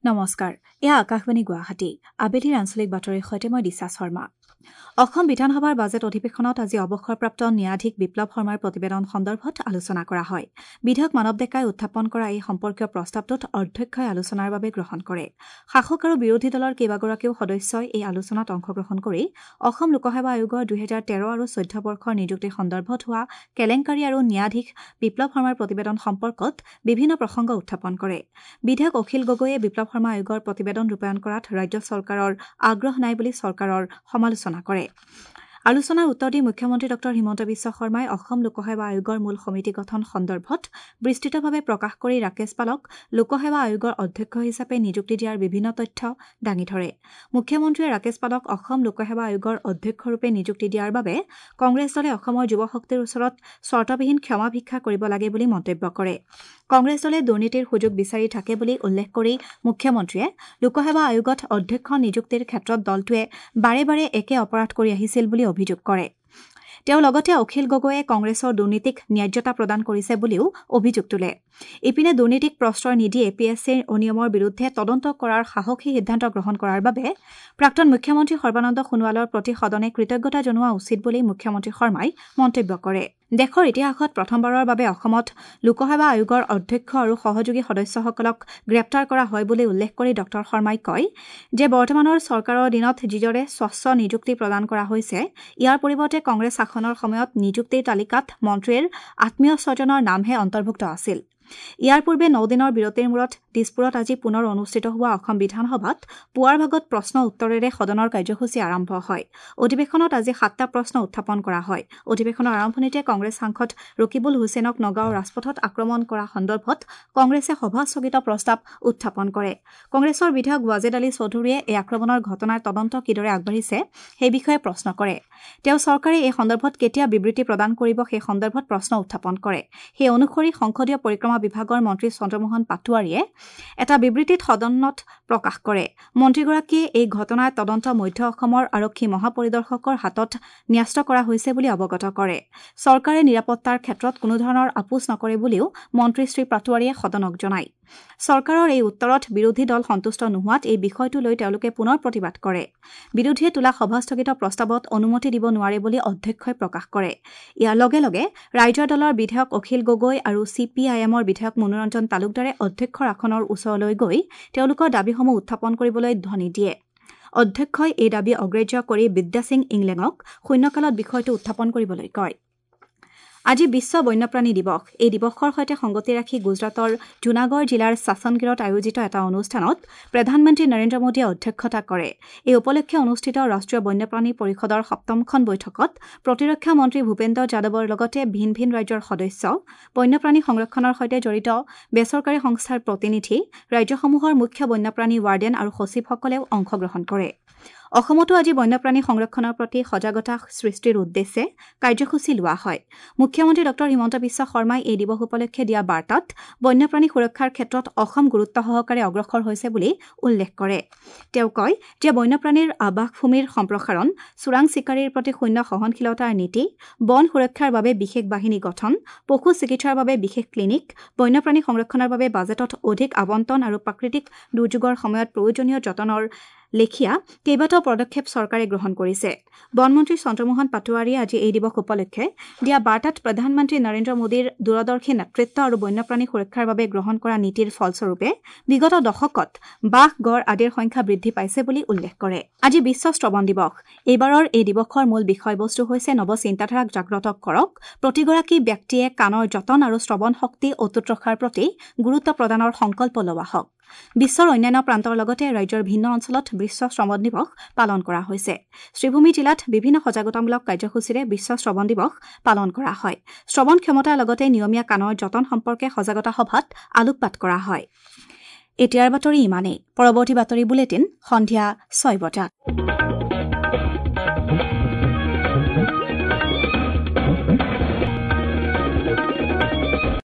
নমস্কাৰ, এয়া আকাশবাণী গুৱাহাটী। আবেলিৰ আঞ্চলিক বাতৰিৰ সৈতে মই দিশা শৰ্মা। অসম বিধানসভাৰ বাজেট অধিৱেশনত আজি অৱসৰপ্ৰাপ্ত ন্যায়াধীশ বিপ্লৱ শৰ্মাৰ প্ৰতিবেদন সন্দৰ্ভত আলোচনা কৰা হয়। বিধায়ক মানৱ ডেকাই উত্থাপন কৰা এই সম্পৰ্কীয় প্ৰস্তাৱটোত অধ্যক্ষই আলোচনাৰ বাবে গ্ৰহণ কৰে। শাসক আৰু বিৰোধী দলৰ কেইবাগৰাকীও সদস্যই এই আলোচনাত অংশগ্ৰহণ কৰি অসম লোকসেৱা আয়োগৰ 2013 আৰু 14 বৰ্ষৰ নিযুক্তি সন্দৰ্ভত হোৱা কেলেংকাৰী আৰু ন্যায়াধীশ বিপ্লৱ শৰ্মাৰ প্ৰতিবেদন সম্পৰ্কত বিভিন্ন প্ৰসংগ উত্থাপন কৰে। বিধায়ক অখিল গগৈয়ে বিপ্লৱ শৰ্মা আয়োগৰ প্ৰতিবেদন ৰূপায়ণ কৰাত ৰাজ্য চৰকাৰৰ আগ্ৰহ নাই বুলি চৰকাৰৰ সমালোচনা কৰে। আলোচনাৰ উত্তৰ দি মুখ্যমন্ত্ৰী ডঃ হিমন্ত বিশ্ব শৰ্মাই অসম লোকসেৱা আয়োগৰ মূল সমিতি গঠন সন্দৰ্ভত বিস্তৃতভাৱে প্ৰকাশ কৰি ৰাকেশ পালক লোকসেৱা আয়োগৰ অধ্যক্ষ হিচাপে নিযুক্তি দিয়াৰ বিভিন্ন তথ্য দাঙি ধৰে। মুখ্যমন্ত্ৰীয়ে ৰাকেশ পালক অসম লোকসেৱা আয়োগৰ অধ্যক্ষৰূপে নিযুক্তি দিয়াৰ বাবে কংগ্ৰেছ দলে অসমৰ যুৱ শক্তিৰ ওচৰত চৰ্তবিহীন ক্ষমা ভিক্ষা কৰিব লাগে বুলি মন্তব্য কৰে। কংগ্ৰেছ দলে দুৰ্নীতিৰ সুযোগ বিচাৰি থাকে বুলি উল্লেখ কৰি মুখ্যমন্ত্ৰীয়ে লোকসেৱা আয়োগত অধ্যক্ষ নিযুক্তিৰ ক্ষেত্ৰত দলটোৱে বাৰে বাৰে একে অপৰাধ কৰি আহিছিল বুলি অভিযোগ কৰে। তেওঁ লগতে অখিল গগৈয়ে কংগ্ৰেছৰ দুৰ্নীতিক ন্যায্যতা প্ৰদান কৰিছে বুলিও অভিযোগ তোলে। ইপিনে দুৰ্নীতিক প্ৰশ্ৰয় নিদি এ পি এছ চিৰ অনিয়মৰ বিৰুদ্ধে তদন্ত কৰাৰ সাহসী সিদ্ধান্ত গ্ৰহণ কৰাৰ বাবে প্ৰাক্তন মুখ্যমন্ত্ৰী সৰ্বানন্দ সোণোৱালৰ প্ৰতি সদনে কৃতজ্ঞতা জনোৱা উচিত বুলি মুখ্যমন্ত্ৰী শৰ্মাই মন্তব্য কৰে। দেশৰ ইতিহাসত প্ৰথমবাৰৰ বাবে অসমত লোকসেৱা আয়োগৰ অধ্যক্ষ আৰু সহযোগী সদস্যসকলক গ্ৰেপ্তাৰ কৰা হয় বুলি উল্লেখ কৰি ডঃ শৰ্মাই কয় যে বৰ্তমানৰ চৰকাৰৰ দিনত যিদৰে স্বচ্ছ নিযুক্তি প্ৰদান কৰা হৈছে, ইয়াৰ পৰিৱৰ্তে কংগ্ৰেছ শাসনৰ সময়ত নিযুক্তিৰ তালিকাত মন্ত্ৰীৰ আত্মীয় স্বজনৰ নামহে অন্তৰ্ভুক্ত আছিল। ইয়াৰ পূৰ্বে 9 দিনৰ বিৰতিৰ মূৰত দিছপুৰত আজি পুনৰ অনুষ্ঠিত হোৱা অসম বিধানসভাত পুৱাৰ ভাগত প্ৰশ্ন উত্তৰেৰে সদনৰ কাৰ্যসূচী আৰম্ভ হয়। অধিৱেশনত আজি 7টা প্ৰশ্ন উত্থাপন কৰা হয়। অধিৱেশনৰ আৰম্ভণিতে কংগ্ৰেছ সাংসদ ৰকিবুল হুছেইনক নগাঁৱৰ ৰাজপথত আক্ৰমণ কৰা সন্দৰ্ভত কংগ্ৰেছে সভা স্থগিত প্ৰস্তাৱ উত্থাপন কৰে। কংগ্ৰেছৰ বিধায়ক ৱাজেদ আলী চৌধুৰীয়ে এই আক্ৰমণৰ ঘটনাৰ তদন্ত কিদৰে আগবাঢ়িছে সেই বিষয়ে প্ৰশ্ন কৰে। তেওঁ চৰকাৰে এই সন্দৰ্ভত কেতিয়া বিবৃতি প্ৰদান কৰিব সেই সন্দৰ্ভত প্ৰশ্ন উত্থাপন কৰে। সেই অনুসৰি সংসদীয় পৰিক্ৰমা বিভাগৰ মন্ত্ৰী চন্দ্ৰমোহন পাটোৱাৰীয়ে এটা বিবৃতিত সদনত প্ৰকাশ কৰে। মন্ত্ৰীগৰাকীয়ে এই ঘটনাৰ তদন্ত মধ্য অসমৰ আৰক্ষী মহাপৰিদৰ্শকৰ হাতত ন্যস্ত কৰা হৈছে বুলি অৱগত কৰে। চৰকাৰে নিৰাপত্তাৰ ক্ষেত্ৰত কোনোধৰণৰ আপোচ নকৰে বুলিও মন্ত্ৰী শ্ৰী পাটোৱাৰীয়ে সদনক জনায়। চৰকাৰৰ এই উত্তৰত বিৰোধী দল সন্তুষ্ট নোহোৱাত এই বিষয়টো লৈ তেওঁলোকে পুনৰ প্ৰতিবাদ কৰে। বিৰোধীয়ে তোলা সভাস্থগিত প্ৰস্তাৱত অনুমতি দিব নোৱাৰে বুলি অধ্যক্ষই প্ৰকাশ কৰে। ইয়াৰ লগে লগে ৰাইজৰ দলৰ বিধায়ক অখিল গগৈ আৰু চি পি আই এমৰ বিধায়ক মনোৰঞ্জন তালুকদাৰে অধ্যক্ষৰ আসনৰ ওচৰলৈ গৈ তেওঁলোকৰ দাবীসমূহ উত্থাপন কৰিবলৈ ধ্বনি দিয়ে। অধ্যক্ষই এই দাবী অগ্ৰাহ্য কৰি বিদ্যাসিং ইংলেঙক শূন্যকালত বিষয়টো উত্থাপন কৰিবলৈ কয়। আজি বিশ্ব বন্যপ্ৰাণী দিৱস। এই দিৱসৰ সৈতে সংগতি ৰাখি গুজৰাটৰ জুনাগড় জিলাৰ ছাছনগিৰত আয়োজিত এটা অনুষ্ঠানত প্ৰধানমন্ত্ৰী নৰেন্দ্ৰ মোদীয়ে অধ্যক্ষতা কৰে। এই উপলক্ষে অনুষ্ঠিত ৰাষ্ট্ৰীয় বন্যপ্ৰাণী পৰিষদৰ 7মখন বৈঠকত প্ৰতিৰক্ষা মন্ত্ৰী ভূপেন্দ্ৰ যাদৱৰ লগতে ভিন ভিন ৰাজ্যৰ সদস্য, বন্যপ্ৰাণী সংৰক্ষণৰ সৈতে জড়িত বেচৰকাৰী সংস্থাৰ প্ৰতিনিধি, ৰাজ্যসমূহৰ মুখ্য বন্যপ্ৰাণী ৱাৰ্ডেন আৰু সচিবসকলেও অংশগ্ৰহণ কৰে। অসমতো আজি বন্যপ্ৰাণী সংৰক্ষণৰ প্ৰতি সজাগতা সৃষ্টিৰ উদ্দেশ্যে কাৰ্যসূচী লোৱা হয়। মুখ্যমন্ত্ৰী ডঃ হিমন্ত বিশ্ব শৰ্মাই এই দিৱস উপলক্ষে দিয়া বাৰ্তাত বন্যপ্ৰাণী সুৰক্ষাৰ ক্ষেত্ৰত অসম গুৰুত্ব সহকাৰে অগ্ৰসৰ হৈছে বুলি উল্লেখ কৰে। তেওঁ কয় যে বন্যপ্ৰাণীৰ আৱাসভূমিৰ সম্প্ৰসাৰণ, চোৰাং চিকাৰীৰ প্ৰতি শূন্য সহনশীলতাৰ নীতি, বন সুৰক্ষাৰ বাবে বিশেষ বাহিনী গঠন, পশু চিকিৎসাৰ বাবে বিশেষ ক্লিনিক, বন্যপ্ৰাণী সংৰক্ষণৰ বাবে বাজেটত অধিক আবণ্টন আৰু প্ৰাকৃতিক দুৰ্যোগৰ সময়ত প্ৰয়োজনীয় যতনৰ লেখীয়া কেইবাটাও পদক্ষেপ চৰকাৰে গ্ৰহণ কৰিছে। বনমন্ত্ৰী চন্দ্ৰমোহন পাটোৱাৰীয়ে আজি এই দিৱস উপলক্ষে দিয়া বাৰ্তাত প্ৰধানমন্ত্ৰী নৰেন্দ্ৰ মোদীৰ দূৰদৰ্শী নেতৃত্ব আৰু বন্যপ্ৰাণী সুৰক্ষাৰ বাবে গ্ৰহণ কৰা নীতিৰ ফলস্বৰূপে বিগত দশকত বাঘ, গড় আদিৰ সংখ্যা বৃদ্ধি পাইছে বুলি উল্লেখ কৰে। আজি বিশ্ব শ্ৰৱণ দিৱস। এইবাৰৰ এই দিৱসৰ মূল বিষয়বস্তু হৈছে নৱ চিন্তাধাৰাক জাগ্ৰত কৰক, প্ৰতিগৰাকী ব্যক্তিয়ে কাণৰ যতন আৰু শ্ৰৱণ শক্তি অটুট ৰখাৰ প্ৰতি গুৰুত্ব প্ৰদানৰ সংকল্প লোৱা হওক। বিশ্বৰ অন্যান্য প্ৰান্তৰ লগতে ৰাজ্যৰ ভিন্ন অঞ্চলত বিশ্ব শ্ৰৱণ দিৱস পালন কৰা হৈছে। শ্ৰীভূমি জিলাত বিভিন্ন সজাগতামূলক কাৰ্যসূচীৰে বিশ্ব শ্ৰৱণ দিৱস পালন কৰা হয়। শ্ৰৱণ ক্ষমতাৰ লগতে নিয়মীয়া কাণৰ যতন সম্পৰ্কে সজাগতা সভাত আলোকপাত কৰা হয়। এতিয়াৰ বাতৰি ইমানেই। পৰৱৰ্তী বাতৰি বুলেটিন সন্ধিয়া 6 বজাত।